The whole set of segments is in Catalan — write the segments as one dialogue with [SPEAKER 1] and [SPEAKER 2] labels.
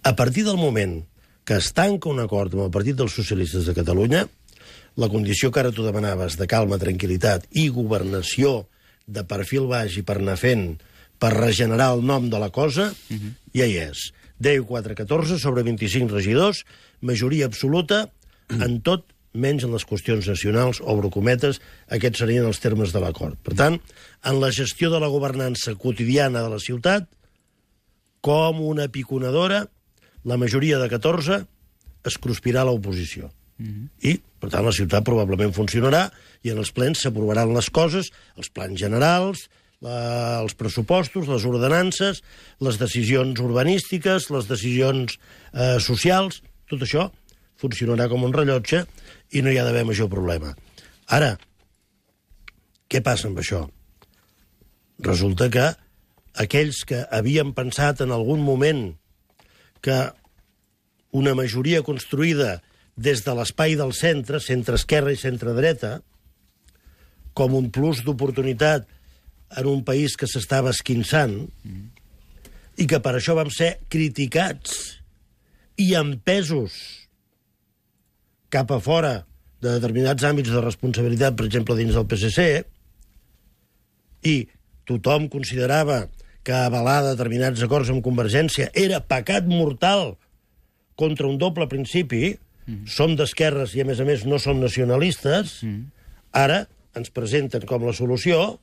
[SPEAKER 1] A partir del moment que es tanca un acord amb el Partit dels Socialistes de Catalunya, la condició que ara tu demanaves de calma, tranquil·litat i governació de perfil baix i per anar fent, per regenerar el nom de la cosa, ja hi és. 10-4-14 sobre 25 regidors, majoria absoluta en tot, menys en les qüestions nacionals, obro cometes, aquests serien els termes de l'acord. Per tant, en la gestió de la governança quotidiana de la ciutat, com una piconadora, la majoria de 14 es cruspirà a l'oposició. I, per tant, la ciutat probablement funcionarà i en els plens s'aprovaran les coses, els plans generals, els pressupostos, les ordenances, les decisions urbanístiques, les decisions socials, tot això funcionarà com un rellotge i no hi ha d'haver major problema. Ara, què passa amb això? Resulta que aquells que havien pensat en algun moment que una majoria construïda des de l'espai del centre, centre-esquerra i centre-dreta, com un plus d'oportunitat en un país que s'estava esquinçant, i que per això vam ser criticats i empesos cap a fora de determinats àmbits de responsabilitat, per exemple, dins del PSC, i tothom considerava que avalar determinats acords amb Convergència era pecat mortal contra un doble principi, som d'esquerres i, a més, no som nacionalistes, ara ens presenten com la solució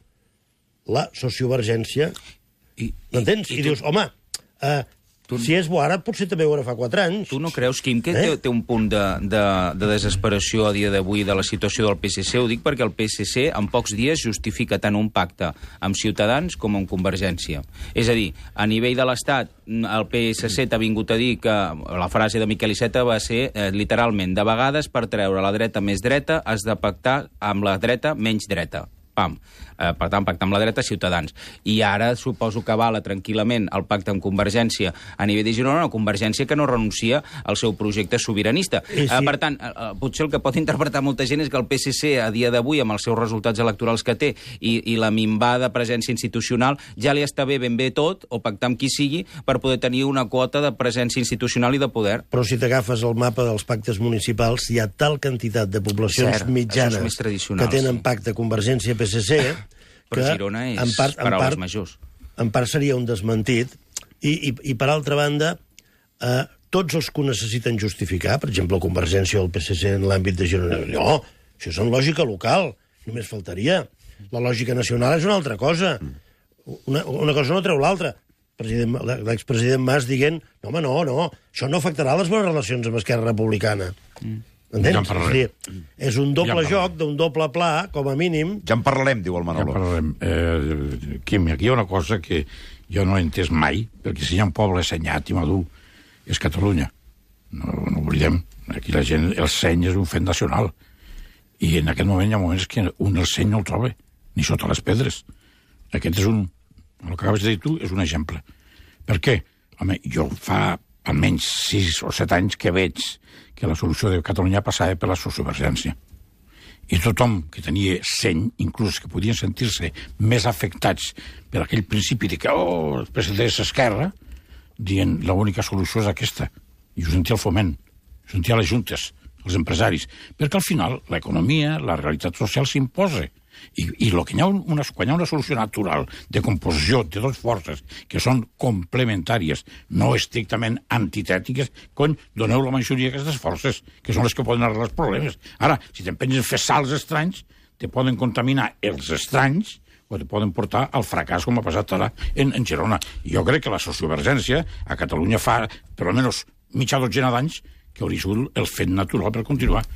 [SPEAKER 1] la sociovergència. M'entens? I dius, home, si és bo ara, potser també ho era fa 4 anys.
[SPEAKER 2] Tu no creus, Quim, que té un punt de desesperació a dia d'avui de la situació del PSC? Ho dic perquè el PSC en pocs dies justifica tant un pacte amb Ciutadans com amb Convergència. És a dir, a nivell de l'Estat, el PSC t'ha vingut a dir que la frase de Miquel Iceta va ser literalment, de vegades per treure la dreta més dreta has de pactar amb la dreta menys dreta. Pam. Per tant, pactar amb la dreta, Ciutadans. I ara suposo que avala tranquil·lament el pacte amb Convergència a nivell de Girona, una Convergència que no renuncia al seu projecte sobiranista. Sí. Per tant, potser el que pot interpretar molta gent és que el PSC, a dia d'avui, amb els seus resultats electorals que té i la minvada presència institucional, ja li està bé ben bé tot, o pactar amb qui sigui, per poder tenir una quota de presència institucional i de poder.
[SPEAKER 1] Però si t'agafes el mapa dels pactes municipals, hi ha tal quantitat de poblacions mitjanes que tenen pacte Convergència-PSC
[SPEAKER 2] però Girona és paraules majors.
[SPEAKER 1] En part seria un desmentit i per altra banda tots els que ho necessiten justificar, per exemple Convergència o el PSC en l'àmbit de Girona, no, això és en lògica local, només faltaria. La lògica nacional és una altra cosa. Una cosa no treu l'altra. L'expresident Mas dient, no, home, no, això no afectarà les bones relacions amb Esquerra Republicana. Entens? Ja és un doble joc d'un doble pla, com a mínim.
[SPEAKER 3] Ja en parlarem, diu el Manolo.
[SPEAKER 4] Ja en parlarem. Quim, aquí hi ha una cosa que jo no he entès mai, perquè si hi ha un poble assenyat i madur, és Catalunya. No oblidem. Aquí la gent, el seny és un fet nacional. I en aquest moment hi ha moments que un el seny no el troba, ni sota les pedres. Aquest és el que acabes de dir tu, és un exemple. Per què? Home, jo fa almenys 6 o 7 anys que veig que la solució de Catalunya passava per la sociovergència. I tothom que tenia seny, inclús que podien sentir-se més afectats per aquell principi de que, el president és esquerra, dient l'única solució és aquesta. I ho sentia el Foment, ho sentia les juntes, els empresaris, perquè al final l'economia, la realitat social s'imposa. I quan hi ha una solució natural de composició de dues forces que són complementàries, no estrictament antitètiques, doneu la majoria d'aquestes forces, que són les que poden arreglar els problemes. Ara, si t'empenys a fer salts estranys, te poden contaminar els estranys o te poden portar al fracàs, com ha passat ara en Girona. Jo crec que la sociovergència a Catalunya fa per almenys mitja dotzena d'anys que hauria sigut el fet natural per continuar.